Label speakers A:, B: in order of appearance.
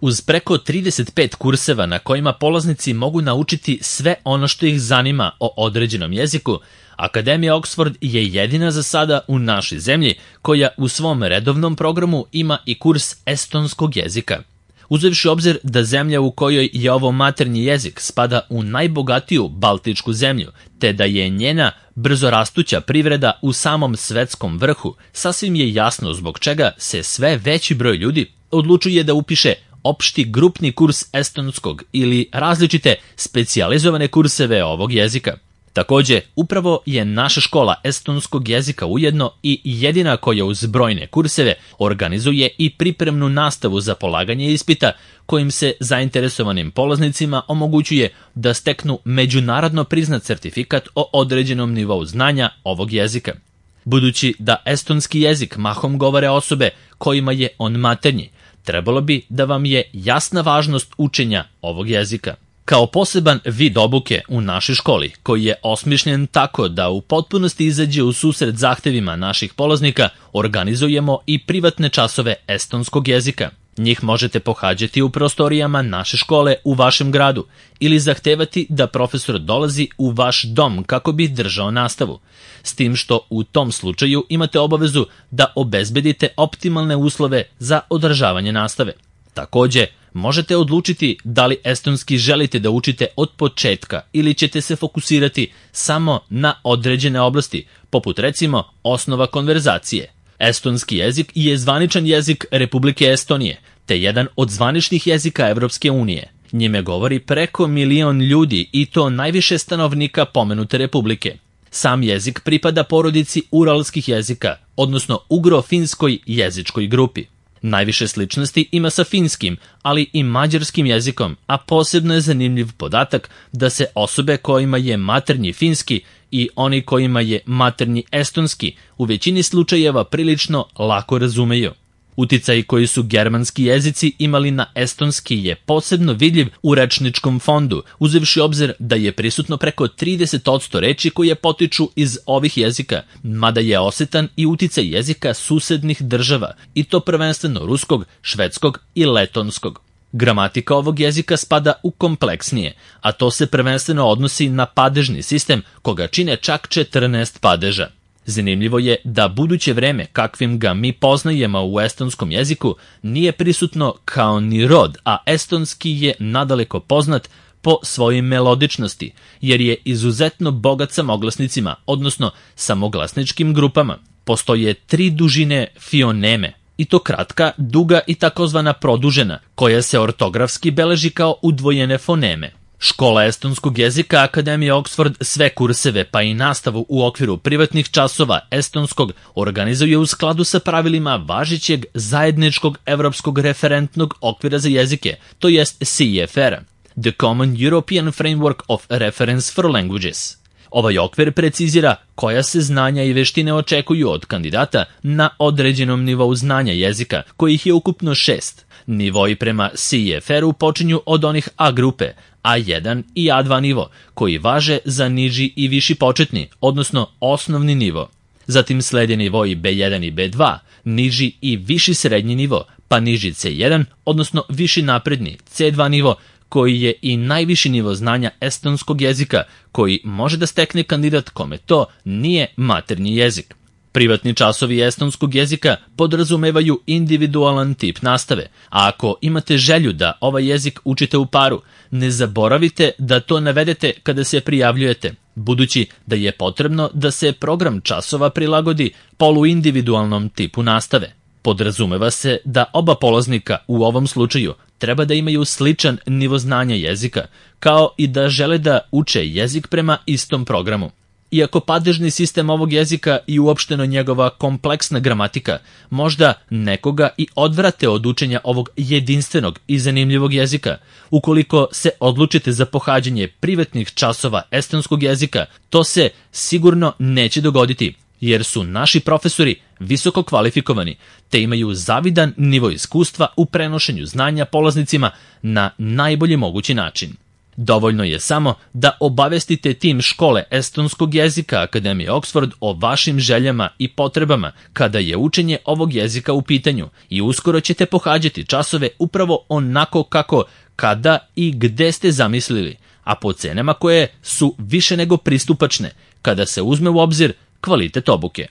A: Uz preko 35 kurseva na kojima polaznici mogu naučiti sve ono što ih zanima o određenom jeziku, Akademija Oxford je jedina za sada u našoj zemlji koja u svom redovnom programu ima i kurs estonskog jezika. Uzevši obzir da zemlja u kojoj je ovo maternji jezik spada u najbogatiju baltičku zemlju, te da je njena brzo rastuća privreda u samom svetskom vrhu, sasvim je jasno zbog čega se sve veći broj ljudi odlučuje da upiše opšti grupni kurs estonskog ili različite specijalizovane kurseve ovog jezika. Takođe, upravo je naša škola estonskog jezika ujedno i jedina koja uz brojne kurseve organizuje i pripremnu nastavu za polaganje ispita kojim se zainteresovanim polaznicima omogućuje da steknu međunarodno priznat sertifikat o određenom nivou znanja ovog jezika. Budući da estonski jezik mahom govore osobe kojima je on maternji, trebalo bi da vam je jasna važnost učenja ovog jezika. Kao poseban vid obuke u našoj školi, koji je osmišljen tako da u potpunosti izađe u susret zahtevima naših polaznika, organizujemo i privatne časove estonskog jezika. Njih možete pohađati u prostorijama naše škole u vašem gradu ili zahtevati da profesor dolazi u vaš dom kako bi držao nastavu. S tim što u tom slučaju imate obavezu da obezbedite optimalne uslove za održavanje nastave. Takođe, možete odlučiti da li estonski želite da učite od početka ili ćete se fokusirati samo na određene oblasti, poput recimo osnova konverzacije. Estonski jezik je zvaničan jezik Republike Estonije, te jedan od zvaničnih jezika Evropske unije. Njime govori preko 1 milion ljudi i to najviše stanovnika pomenute republike. Sam jezik pripada porodici uralskih jezika, odnosno ugro-finskoj jezičkoj grupi. Najviše sličnosti ima sa finskim, ali i mađarskim jezikom, a posebno je zanimljiv podatak da se osobe kojima je maternji finski i oni kojima je maternji estonski u većini slučajeva prilično lako razumeju. Uticaj koji su germanski jezici imali na estonski je posebno vidljiv u rečničkom fondu, uzevši obzir da je prisutno preko 30% reči koje potiču iz ovih jezika, mada je osetan i uticaj jezika susednih država, i to prvenstveno ruskog, švedskog i letonskog. Gramatika ovog jezika spada u kompleksnije, a to se prvenstveno odnosi na padežni sistem koga čine čak 14 padeža. Zanimljivo je da buduće vreme kakvim ga mi poznajemo u estonskom jeziku nije prisutno kao ni rod, a estonski je nadaleko poznat po svojoj melodičnosti, jer je izuzetno bogat samoglasnicima, odnosno samoglasničkim grupama. Postoje 3 dužine fioneme, i to kratka, duga i takozvana produžena, koja se ortografski beleži kao udvojene foneme. Škola estonskog jezika Akademije Oxford sve kurseve pa i nastavu u okviru privatnih časova estonskog organizuje u skladu sa pravilima važećeg zajedničkog evropskog referentnog okvira za jezike, to jest CEFR, The Common European Framework of Reference for Languages. Ovaj okvir precizira koja se znanja i veštine očekuju od kandidata na određenom nivou znanja jezika, kojih je ukupno 6. Nivoi prema CEFR-u počinju od onih A grupe, A1 i A2 nivo, koji važe za niži i viši početni, odnosno osnovni nivo. Zatim slede nivoi B1 i B2, niži i viši srednji nivo, pa niži C1, odnosno viši napredni C2 nivo, koji je i najviši nivo znanja estonskog jezika, koji može da stekne kandidat kome to nije maternji jezik. Privatni časovi estonskog jezika podrazumevaju individualan tip nastave, a ako imate želju da ovaj jezik učite u paru, ne zaboravite da to navedete kada se prijavljujete, budući da je potrebno da se program časova prilagodi poluindividualnom tipu nastave. Podrazumeva se da oba polaznika u ovom slučaju treba da imaju sličan nivo znanja jezika, kao i da žele da uče jezik prema istom programu. Iako padežni sistem ovog jezika i uopšteno njegova kompleksna gramatika možda nekoga i odvrate od učenja ovog jedinstvenog i zanimljivog jezika, ukoliko se odlučite za pohađanje privatnih časova estonskog jezika, to se sigurno neće dogoditi, jer su naši profesori visoko kvalifikovani, te imaju zavidan nivo iskustva u prenošenju znanja polaznicima na najbolji mogući način. Dovoljno je samo da obavestite tim škole estonskog jezika Akademije Oxford o vašim željama i potrebama kada je učenje ovog jezika u pitanju i uskoro ćete pohađati časove upravo onako kako, kada i gde ste zamislili, a po cenama koje su više nego pristupačne kada se uzme u obzir kvalitet obuke.